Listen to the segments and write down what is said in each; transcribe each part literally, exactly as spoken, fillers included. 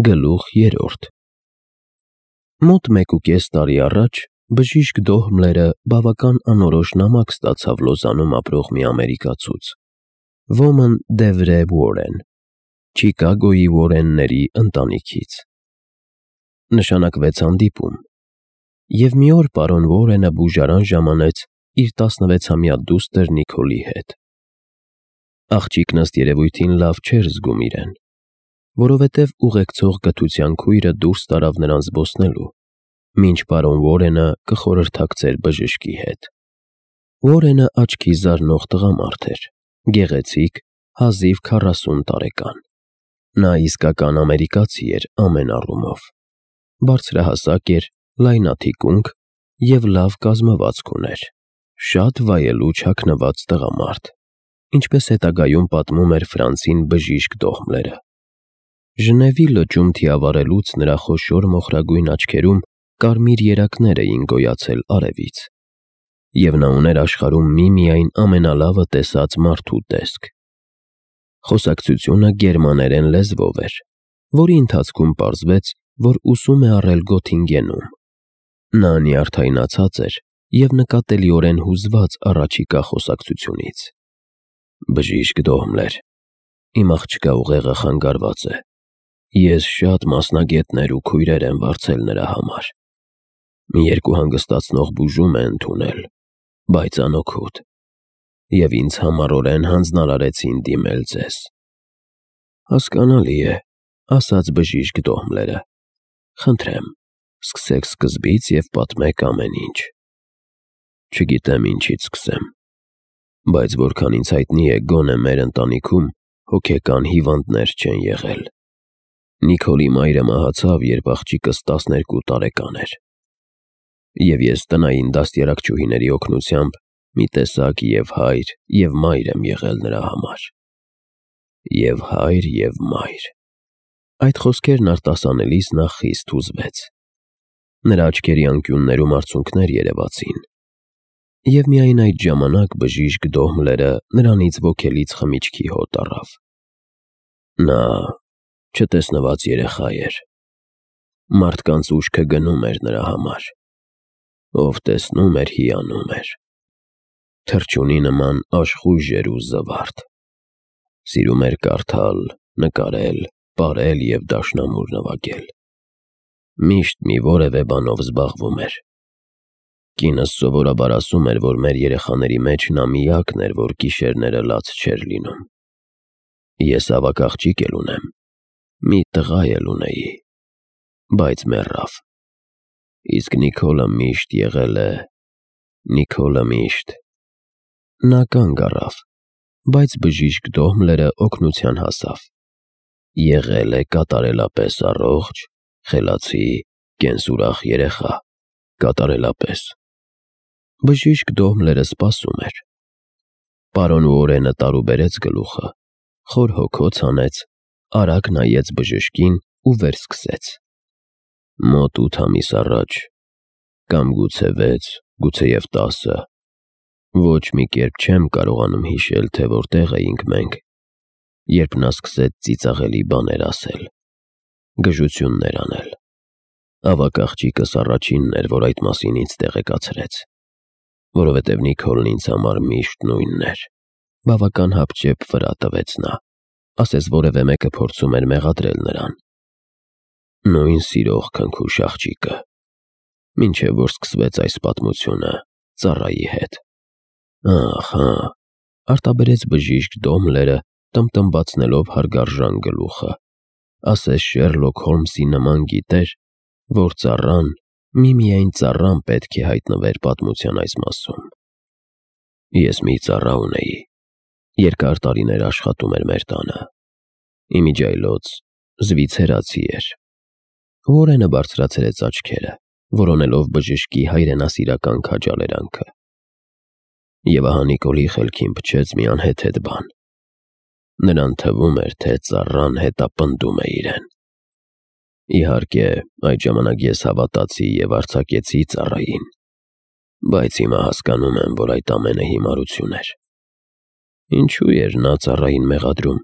Գլուխ երրորդ Մոտ մեկուկես տարի առաջ բժիշկ Դոհմլերը բավական անորոշ նամակ ստացավ Լոզանում ապրող մի ամերիկացուց, Ոմն Դևրե Ուորեն, Չիկագոյի Ուորենների ընտանիքից։ Նշանակվեց հանդիպում, և մի օր պարոն Ուորենը բուժարան ժամանեց իր տասնվեցամյա դուստր Նիքոլի հետ։ Աղջիկն ըստ երևույթին լավ չէր զգում իրեն, որովհետև ուղեկցող կթության քույրը դուրս տարավ նրան զբոսնելու, մինչ պարոն Ուորենը կխորհրդակցեր բժշկի հետ։ Ուորենը աչքի զարնող տղամարդ էր, գեղեցիկ, հազիվ քառասուն տարեկան։ Նա իսկական ամերիկացի էր ամեն առումով, բարձրահասակ էր, լայնաթիկունք և լավ կազմվածք ուներ, շատ վայելու չաքնված տղամարդ, ինչպես հետագայում պատմում էր Ֆրանսին բժիշկ Դոհմլերը։ Ժնևի լճում թիավարելուց նրա խոշոր մոխրագույն աչքերում կարմիր երակներ էին գոյացել արևից, և նա ուներ աշխարհում միմիայն ամենալավը տեսած մարդու տեսք։ Խոսակցությունը գերմաներեն լեզվով էր, որի ընթացքում պարզվեց, որ ուսում է առել Գոթինգենում։ Նա նյարդայնացած էր և նկատելիորեն հուզված առաջիկա խոսակցությունից։ Բժիշկ Դոհմլեր, իմ աղջկա ուղեղը խանգարված է։ Ես շատ մասնագետներ ու քույրեր եմ վարձել նրա համար։ Մի երկու հանգստացնող բուժում է ընդունել, բայց անօգուտ, և ինձ համառորեն հանձնարարեցին դիմել ձեզ։ Հասկանալի է, ասաց բժիշկ Դոհմլերը։ Խնդրեմ, սկսեք սկզբից և պատմեք ամեն ինչ։ Չգիտեմ ինչից սկսեմ, բայց որքան ինձ հայտնի է, գոնե մեր ընտանիքում հոգեկան հիվանդներ չեն եղել։ Նիքոլի մայրը մահացավ, երբ աղջիկս տասներկու տարեկան էր, և ես տնային դաստիարակչուհիների օգնությամբ մի տեսակ և հայր, և մայր եմ եղել նրա համար։ Եվ հայր, և մայր։ Այդ խոսքերն արտասանելիս նա խիստ հուզվեց։ Նրա աչքերի անկյուններում արցունքներ երևացին, և միայն այդ ժամանակ բժիշկ Դոհմլերը նրանից ոգելից խմիչքի հոտ առավ։ Նա չտեսնված երեխա էր։ Մարդկանց ուշքը գնում էր նրա համար։ Ով տեսնում էր, հիանում էր։ Թռչունի նման աշխույժ էր ու զվարթ։ Սիրում էր կարդալ, նկարել, պարել և դաշնամուր նվագել։ Միշտ մի որևէ բանով զբաղվում էր։ Կինս սովորաբար ասում էր, որ մեր երեխաների մեջ նա միակն էր, որ գիշերները լաց չէր լինում։ Ես ավագ աղջիկ էլ ունեմ, մի տղա էլ ունեի, բայց մեռավ։ Իսկ Նիքոլը միշտ եղել է… Նիքոլը միշտ… Նա կանգ առավ, բայց բժիշկ Դոհմլերը օգնության հասավ։ Եղել է կատարելապես առողջ, խելացի, կենսուրախ երեխա, կատարելապես։ Բժիշկ Դոհմլերը սպասում էր։ Պարոն Ուորենը տարուբերեց գլուխը, խոր հոգոց հանեց, արագ նայեց բժշկին ու վերսկսեց. Մոտ ութ ամիս առաջ, կամ գուցե վեց, գուցեև տասը, ոչ մի կերպ չեմ կարողանում հիշել, թե որտեղ էինք մենք, երբ նա սկսեց ծիծաղելի բաներ ասել, գժություններ անել։ Ավագ աղջիկս առաջինն էր, որ այդ մասին ինձ տեղեկացրեց, որովհետև Նիքոլն ինձ համար միշտ նույնն էր։ Բավական հապճեպ վրա տվեց նա, ասես որևէ մեկը փորձում էր մեղադրել նրան։ Նույն սիրող քնքուշ աղջիկը, մինչև որ սկսվեց այս պատմությունը ծառայի հետ։ Ախ, հա, արտաբերեց բժիշկ Դոհմլերը, տմտմբացնելով հարգարժան գլուխը, ասես Շերլոք Հոլմսի նման գիտեր, որ ծառան, միմիայն ծառան պետք է հայտնվեր պատմության այս մասում։ Ես մի ծառա ունեի, երկար տարիներ աշխատում էր մեր տանը։ Իմիջիայլոց զվիցերացի էր։ Ուորենը բարձրացրեց աչքերը, որոնելով բժշկի հայրենասիրական քաջալերանքը։ Եվ ահա Նիկոլի խելքին փչեց մի անհեթեթ բան։ Նրան թվում էր, թե ծառան հետապնդում է իրեն։ Իհարկե, այդ ժամանակ ես հավատացի և արձակեցի ծառային, բայց հիմա հասկանում եմ, որ այդ ամենը հիմարություն էր։ Ինչու էր նա ծառային մեղադրում։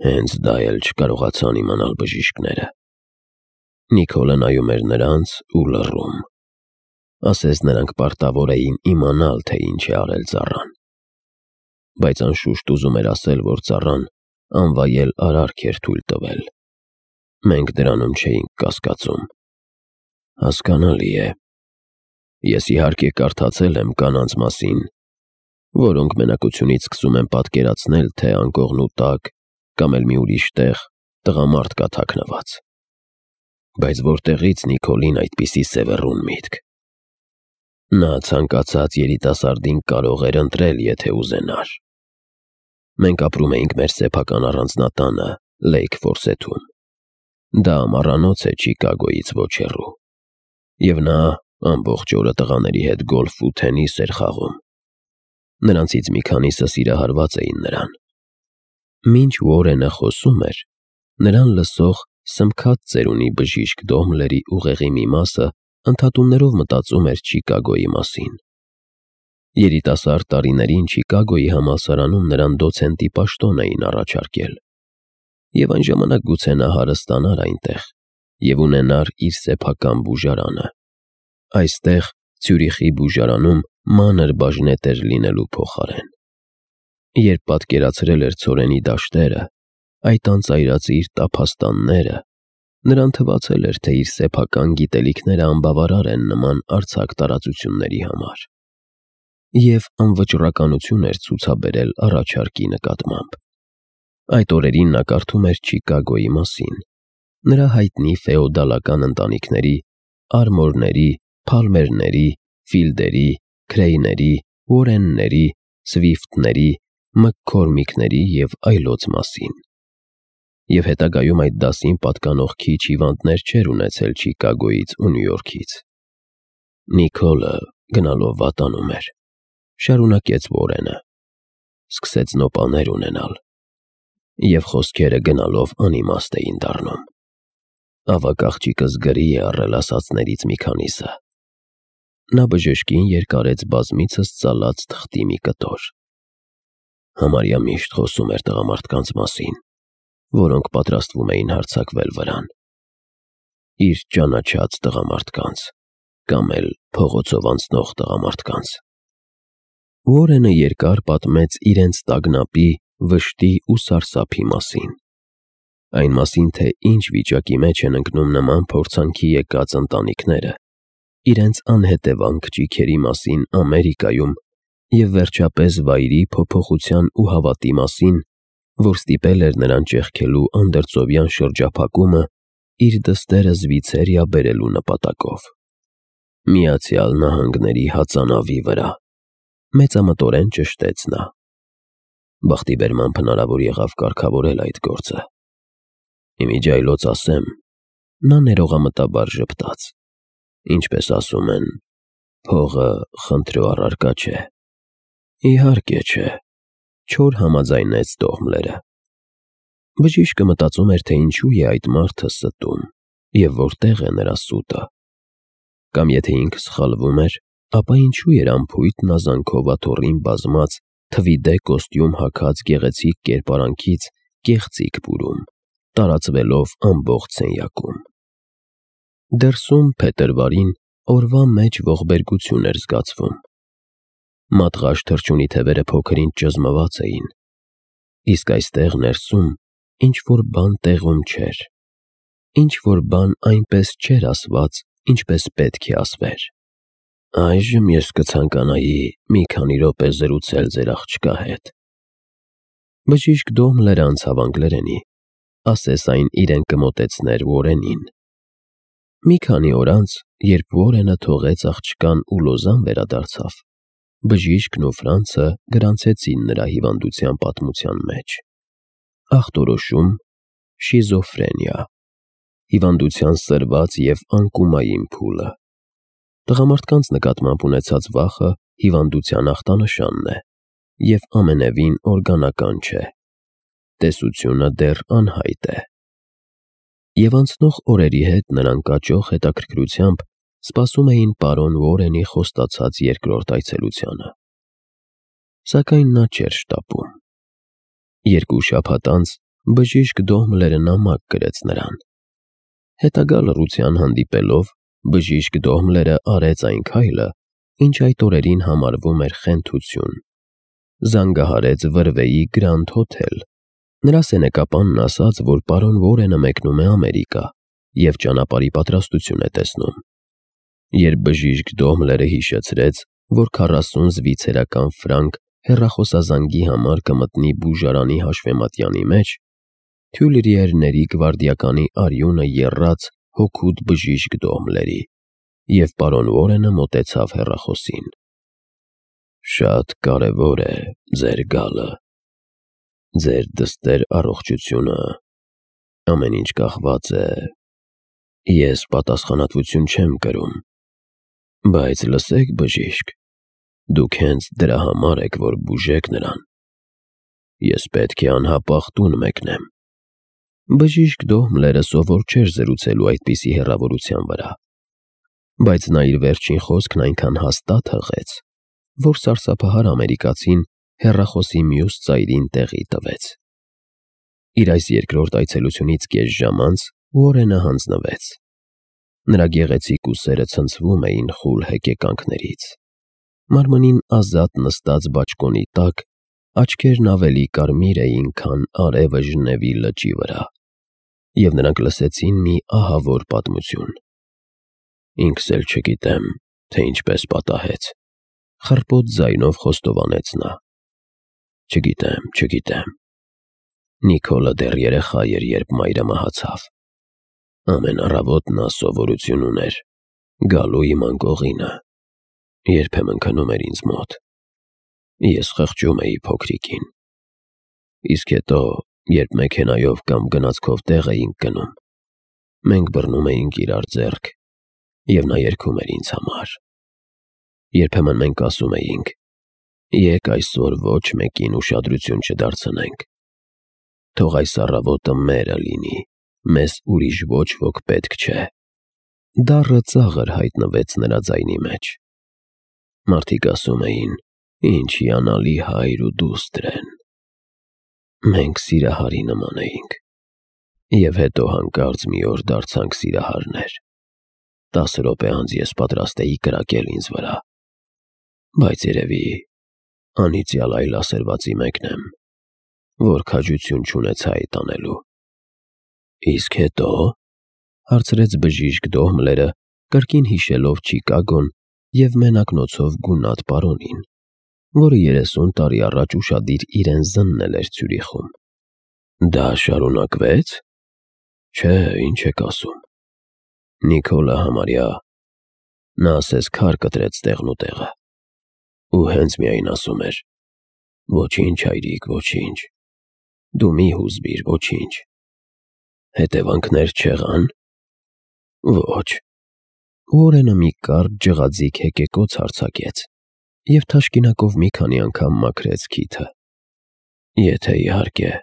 Հենց դա էլ չկարողացան իմանալ բժիշկները։ Նիկոլը նայում էր նրանց ու լռում։ Ասես նրանք պարտավոր էին իմանալ, թե ինչ է արել ծառան։ Բայց անշուշտ ուզում էր ասել, որ ծառան անվայել արարք էր թույլ տվել։ Մենք դրանում չէինք կասկածում։ Հասկանալի է։ Ես իհարկե կարդացել եմ կանանց մասին, որոնք մենակությունից սկսում են պատկերացնել, թե անկողնու տակ կամ էլ մի ուրիշ տեղ տղամարդ կա թաքնված։ Բայց որտեղից Նիկոլին այդպիսի սևեռուն միտք։ Նա ցանկացած երիտասարդին կարող էր ընտրել, եթե ուզենար։ Մենք ապրում էինք մեր սեփական առանձնատանը Լեյք Ֆորսեթում։ Դա ամառանոց է Չիկագոյից ոչ հեռու։ Եվ նա ամբողջ օրը տղաների հետ գոլֆ ու թենիս էր խաղում։ Նրանցից մի քանիսը սիրահարված էին նրան։ Մինչ Ուորենը խոսում էր, նրան լսող սմքած ծերունի բժիշկ Դոհմլերի ուղեղի մի մասը ընդհատումներով մտածում էր Չիկագոյի մասին։ Երիտասարդ տարիներին Չիկագոյի համալսարանում նրան դոցենտի պաշտոն էին առաջարկել։ Եվ այն ժամանակ գուցե նա հարստանար այնտեղ և ունենար իր սեփական բուժարանը։ Այստեղ, Ցյուրիխի բուժարանում, մանր բաժնետեր լինելու փոխարեն։ Երբ պատկերացրել էր ցորենի դաշտերը, այդ անծայրածիր տափաստանները, նրան թվացել էր, թե իր սեփական գիտելիքները անբավարար են նման արձակ տարածությունների համար։ Եվ անվճռականություն էր ցուցաբերել առաջարկի նկատմամբ։ Այդ օրերին նա կարդում էր Չիկագոյի մասին, նրա հայտնի ֆեոդալական ընտանիքների, Արմորների, Փալմերների, Ֆիլդերի, Քրեյների, Ուորենների, Սվիֆթների, Մքքորմիքների և այլոց մասին։ Եվ հետագայում այդ դասին պատկանող քիչ հիվանդներ չէր ունեցել Չիկագոյից ու Նյու Յորքից։ Նիկոլը գնալով վատանում էր, շարունակեց Ուորենը, սկսեց նոպաներ ունենալ, և խոսքերը գնալով անիմաստ էին դառնում։ Ավագ աղջիկս գրի է առել ասածներից մի քանիսը։ Նա բժշկին երկարեց բազմիցս ծալած թղթի մի կտոր։ Համարյա միշտ խոսում էր տղամարդկանց մասին, որոնք պատրաստվում էին հարձակվել վրան։ Իր ճանաչած տղամարդկանց, կամ էլ փողոցով անցնող տղամարդկանց։ Ուորենը երկար պատմեց իրենց տագնապի, վշտի ու սարսափի մասին։ Այն մասին, թե ինչ վիճակի մեջ են ընկնում նման փորձանքի եկած ընտանիքները, իրենց անհետևանք ճիգերի մասին Ամերիկայում և վերջապես վայրի, փոփոխության ու հավատի մասին, որ ստիպել էր նրան ճեղքելու անդրծովյան շրջափակումը իր դստերը Զվիցերիա բերելու նպատակով։ Միացյալ Նահանգների հածանավի վրա, մեծամտորեն ճշտեց նա։ Բախտի բերմամբ հնարավոր եղավ կարգավորել այդ գործը։ Իմիջիայլոց ասեմ, նա ներողամտաբար ժպտաց։ Ինչպես ասում են, փողը խնդրու առարկա չէ։ Իհարկե չէ, չոր համաձայնեց Դոհմլերը։ Բժիշկը մտածում էր, թե ինչու է այդ մարդը ստում և որտեղ է նրա սուտը։ Կամ եթե ինքը սխալվում էր, ապա ինչու էր անփույթ նազանքով աթոռին բազմած, թվիդե կոստյում հագած գեղեցիկ կերպարանքից կեղծիք բուրում, տարածվելով ամբողջ սենյակում։ Դրսում փետրվարին օրվա մեջ ողբերգություն էր զգացվում։ Մատղաշ թռչունի թևերը փոքր-ինչ ճզմված էին, իսկ այստեղ ներսում ինչ-որ բան տեղում չէր, ինչ-որ բան այնպես չէր ասված, ինչպես պետք է ասվեր։ Այժմ ես կցանկանայի մի քանի րոպե զրուցել ձեր աղջկա հետ։ Բժիշկ Դոհմլերը անցավ անգլերենի, ասես այն իրեն կմոտեցներ Ուորենին։ Մի քանի օր անց, երբ Ուորենը թողեց աղջկան ու Լոզան վերադարձավ, բժիշկն ու Ֆրանցը գրանցեցին նրա հիվանդության պատմության մեջ։ Ախտորոշում՝ շիզոֆրենիա, հիվանդության սրված և անկումային փուլը։ Տղամարդկանց նկատմամբ ունեցած վախը հիվանդության ախտանշանն է և ամենևին օրգանական չէ։ Տեսությունը դեռ անհայտ է։ Եվ անցնող օրերի հետ նրանք աճող հետաքրքրությամբ սպասում էին պարոն Ուորենի խոստացած երկրորդ այցելությանը։ Սակայն նա չէր շտապում։ Երկու շաբաթ անց բժիշկ Դոհմլերը նամակ գրեց նրան։ Հետագա լռության հանդիպելով, բժիշկ Դոհմլերը արեց այն քայլը, ինչ այդ օրերին համարվում էր խենթություն։ Զանգահարեց Վրվեի Գրանդ Հոթել։ Նրա սենեկապանն ասաց, որ պարոն Վորենը մեկնում է Ամերիկա և ճանապարհի պատրաստություն է տեսնում։ Երբ բժիշկ Դոհմլերը հիշեցրեց, որ քառասուն զվիցերական ֆրանկ հեռախոսազանգի համար կմտնի բուժարանի հաշվեմատյանի մեջ, Թյուլրիերների գվարդիականի արյունը եռաց հոգուտ բժիշկ Դոհմլերի, և պարոն Վորենը մոտեցավ հեռախոսին։ «Շատ կարևոր է ձեր գալը։ Ձեր դստեր առողջությունը ամեն ինչ կախված է… Ես պատասխանատվություն չեմ կրում, բայց լսեք, բժիշկ, դուք հենց դրա համար եք, որ բուժեք նրան։ Ես պետք է անհապաղ տուն մեկնեմ»։ Բժիշկ Դոհմլերը սովոր չէր զրուցելու այդպիսի հեռավորության վրա, բայց նա իր վերջին խոսքն այնքան հաստատ հղեց, որ սարսափահար ամերիկացին հեռախոսի մյուս ծայրին տեղի տվեց։ Իր այս երկրորդ այցելությունից կես ժամ անց Ուորենը հանձնվեց։ Նրա գեղեցիկ ուսերը ցնցվում էին խուլ հեկեկանքներից։ Մարմնին ազատ նստած բաճկոնի տակ աչքերն ավելի կարմիր էին, քան արևը Ժնևի լճի վրա, և նրանք լսեցին մի ահավոր պատմություն։ «Ինքս էլ չգիտեմ, թե ինչպես պատահեց», խռպոտ ձայնով խոստովանեց նա։ «Չգիտեմ, չգիտեմ… Նիկոլը դեռ երեխա էր, երբ մայրը մահացավ։ Ամեն առավոտ նա սովորություն ուներ գալու իմ անկողինը, երբեմն քնում էր ինձ մոտ։ Ես խղճում էի փոքրիկին։ Իսկ հետո, երբ մեքենայով կամ գնացքով տեղ էինք գնում, մենք բռնում էինք իրար ձեռք, և նա երգում էր ինձ համար։ Երբեմն մենք ասում էինք. «Եկ այսօր ոչ մեկին ուշադրություն չդարձնենք։ Թող այս առավոտը մերը լինի, մեզ ուրիշ ոչ ոք պետք չէ»։ Դառը ծաղր հայտնվեց նրա ձայնի մեջ։ Մարդիկ ասում էին. «Ինչ հիանալի հայր ու դուստր են»։ Մենք սիրահարի նման էինք, և հետո հանկարծ մի օր դարձանք սիրահարներ։ Տասը րոպե անց ես պատրաստ էի կրակել ինձ վրա, բայց երևի անիծյալ այլ ասերվածի մեկն եմ, որ քաջություն չունեցա այդ անելու»։ «Իսկ հետո…» հարցրեց բժիշկ Դոհմլերը, կրկին հիշելով Չիկագոն և մենակնոցով գունատ պարոնին, որը երեսուն տարի առաջ ուշադիր իրեն զննել էր Ցյուրիխում։ «Դա շարունակվե՞ց»։ «Չէ, ինչ եք ասում… Նիկոլը համարյա… Նա ասես քար կտրեց տեղնուտեղը, ու հենց միայն ասում էր. «Ոչինչ, հայրիկ, ոչինչ… Դու մի հուզվիր, ոչինչ»։ Հետևանքներ չեղա՞ն։ «Ոչ»։ Ուորենը մի կարճ ջղաձիգ հեկեկոց արձակեց և թաշկինակով մի քանի անգամ մաքրեց քիթը։ «Եթե, իհարկե,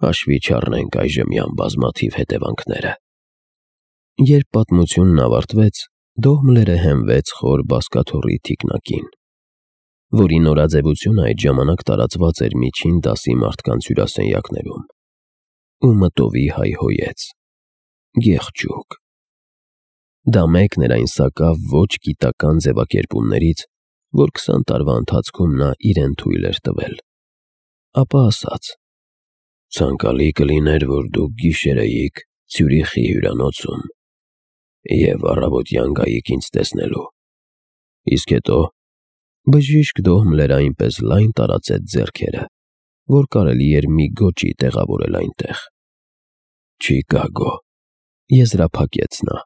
հաշվի չառնենք այժմյան բազմաթիվ հետևանքները»։ Երբ պատմությունն ավարտվեց, Դոհմլերը հենվեց խոր բազկաթոռի թիկնակին, որի նորաձևությունը այդ ժամանակ տարածված էր միջին դասի մարդկանց հյուրասենյակներում, ու մտովի հայհոյեց. «Գեղջուկ»։ Դա մեկն էր այն սակավ ոչ գիտական ձևակերպումներից, որ քսան տարվա ընթացքում նա իրեն թույլ էր տվել։ Ապա ասաց. «Ցանկալի կլիներ, որ դուք գիշերեիք Ցյուրիխի հյուրանոցում և առավոտյան գայիք ինձ տեսնելու»։ Իսկ հետո… Բժիշկ Դոհմլերը այնպես լայն տարածեց ձեռքերը, որ կարելի էր մի գոճի տեղավորել այնտեղ։ «Չիկագո», եզրափակեց նա։